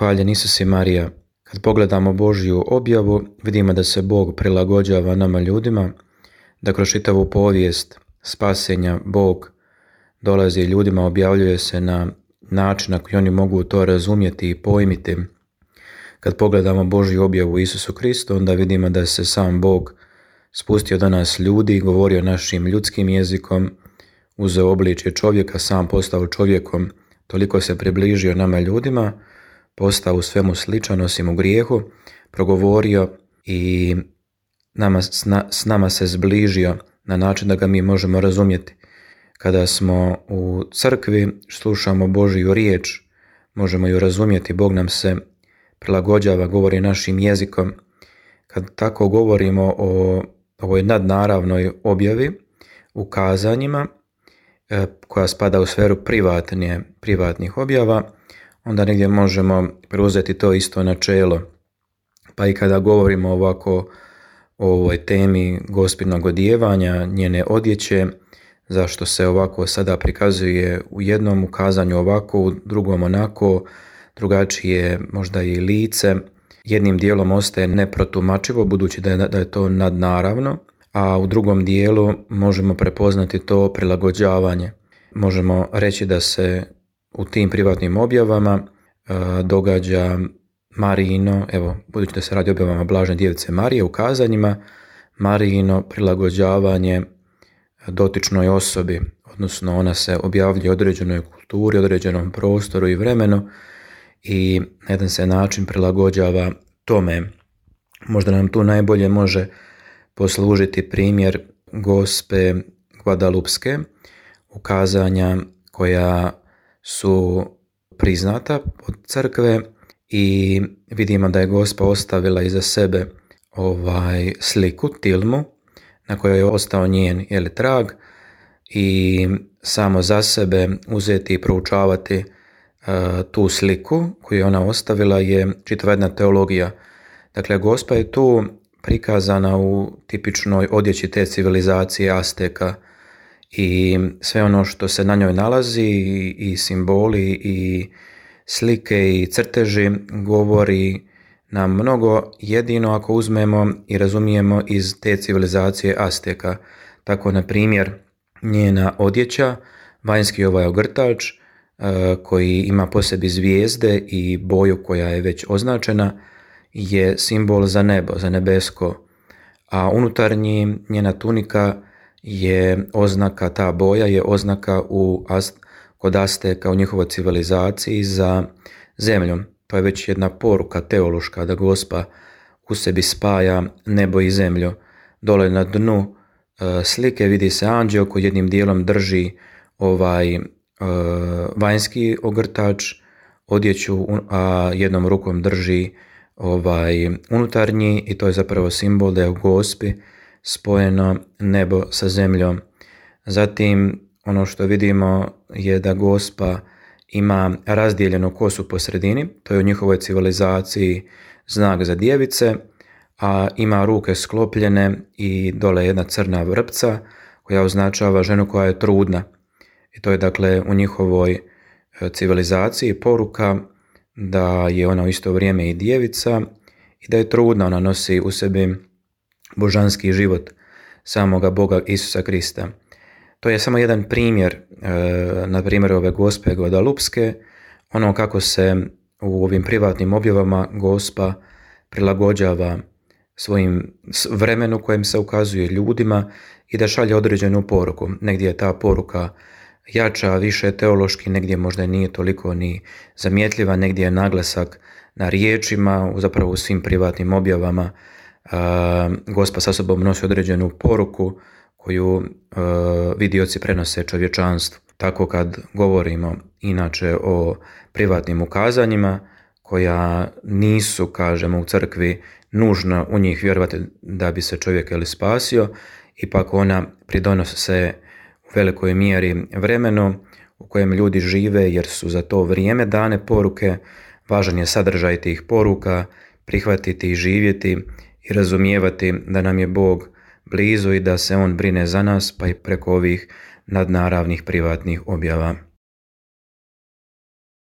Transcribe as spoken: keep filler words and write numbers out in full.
Hvaljen Isus i Marija. Kad pogledamo Božju objavu, vidimo da se Bog prilagođava nama ljudima, da kroz čitavu povijest spasenja Bog dolazi ljudima, objavljuje se na način na koji oni mogu to razumjeti i pojmiti. Kad pogledamo Božju objavu Isusu Kristu, onda vidimo da se sam Bog spustio do nas ljudi, govorio našim ljudskim jezikom, uzeo obličje čovjeka, sam postao čovjekom, toliko se približio nama ljudima, postao u svemu sličan osim u grijehu, progovorio i nama, s nama se zbližio na način da ga mi možemo razumjeti. Kada smo u crkvi, slušamo Božju riječ, možemo ju razumjeti, Bog nam se prilagođava, govori našim jezikom. Kad tako govorimo o ovoj nadnaravnoj objavi, ukazanjima, koja spada u sferu privatnije, privatnih objava, onda negdje možemo preuzeti to isto načelo. Pa i kada govorimo ovako o ovoj temi gospinog odijevanja, njene odjeće, zašto se ovako sada prikazuje u jednom ukazanju ovako, u drugom onako, drugačije možda i lice, jednim dijelom ostaje neprotumačivo budući da je, da je to nadnaravno, a u drugom dijelu možemo prepoznati to prilagođavanje. Možemo reći da se u tim privatnim objavama e, događa Marijino, evo, budući da se radi o objavama Blažene Djevice Marije, ukazanjima, Marijino prilagođavanje dotičnoj osobi, odnosno ona se objavljuje određenoj kulturi, određenom prostoru i vremenu i na jedan se način prilagođava tome. Možda nam tu najbolje može poslužiti primjer Gospe Guadalupske, ukazanja koja su priznata od crkve i vidimo da je Gospa ostavila iza sebe ovaj sliku, tilmu, na kojoj je ostao njen jeli, trag i samo za sebe uzeti i proučavati uh, tu sliku koju je ona ostavila je čitava jedna teologija. Dakle, Gospa je tu prikazana u tipičnoj odjeći te civilizacije Azteka i sve ono što se na njoj nalazi i, i simboli i slike i crteži govori nam mnogo, jedino ako uzmemo i razumijemo iz te civilizacije Azteka. Tako, na primjer, njena odjeća, vanjski ovaj ogrtač koji ima po sebi zvijezde i boju koja je već označena, je simbol za nebo, za nebesko, a unutarnji njena tunika je oznaka, ta boja je oznaka u, kod Azteka u njihovoj civilizaciji za zemljom. To je već jedna poruka teološka da Gospa u sebi spaja nebo i zemlju. Dole na dnu e, slike vidi se anđeo koji jednim dijelom drži ovaj e, vanjski ogrtač, odjeću, a jednom rukom drži ovaj unutarnji i to je zapravo simbol da je u Gospi spojeno nebo sa zemljom. Zatim ono što vidimo je da Gospa ima razdijeljenu kosu po sredini, to je u njihovoj civilizaciji znak za djevice, a ima ruke sklopljene i dole jedna crna vrpca koja označava ženu koja je trudna. I to je dakle u njihovoj civilizaciji poruka da je ona u isto vrijeme i djevica i da je trudna, ona nosi u sebi božanski život samoga Boga Isusa Krista. To je samo jedan primjer, na primjer ove Gospe Guadalupske, ono kako se u ovim privatnim objavama Gospa prilagođava svojim vremenu kojem se ukazuje ljudima i da šalje određenu poruku. Negdje je ta poruka jača, više teološki, negdje možda nije toliko ni zamjetljiva, negdje je naglasak na riječima, zapravo u svim privatnim objavama Gospa sa sobom nosi određenu poruku koju uh, vidioci prenose čovječanstvu. Tako kad govorimo inače o privatnim ukazanjima koja nisu, kažemo, u crkvi nužno u njih vjerovati da bi se čovjek ili spasio, ipak ona pridonose u velikoj mjeri vremenu u kojem ljudi žive jer su za to vrijeme dane poruke, važan je sadržaj tih poruka, prihvatiti i živjeti i razumijevati da nam je Bog blizu i da se on brine za nas pa i preko ovih nadnaravnih privatnih objava.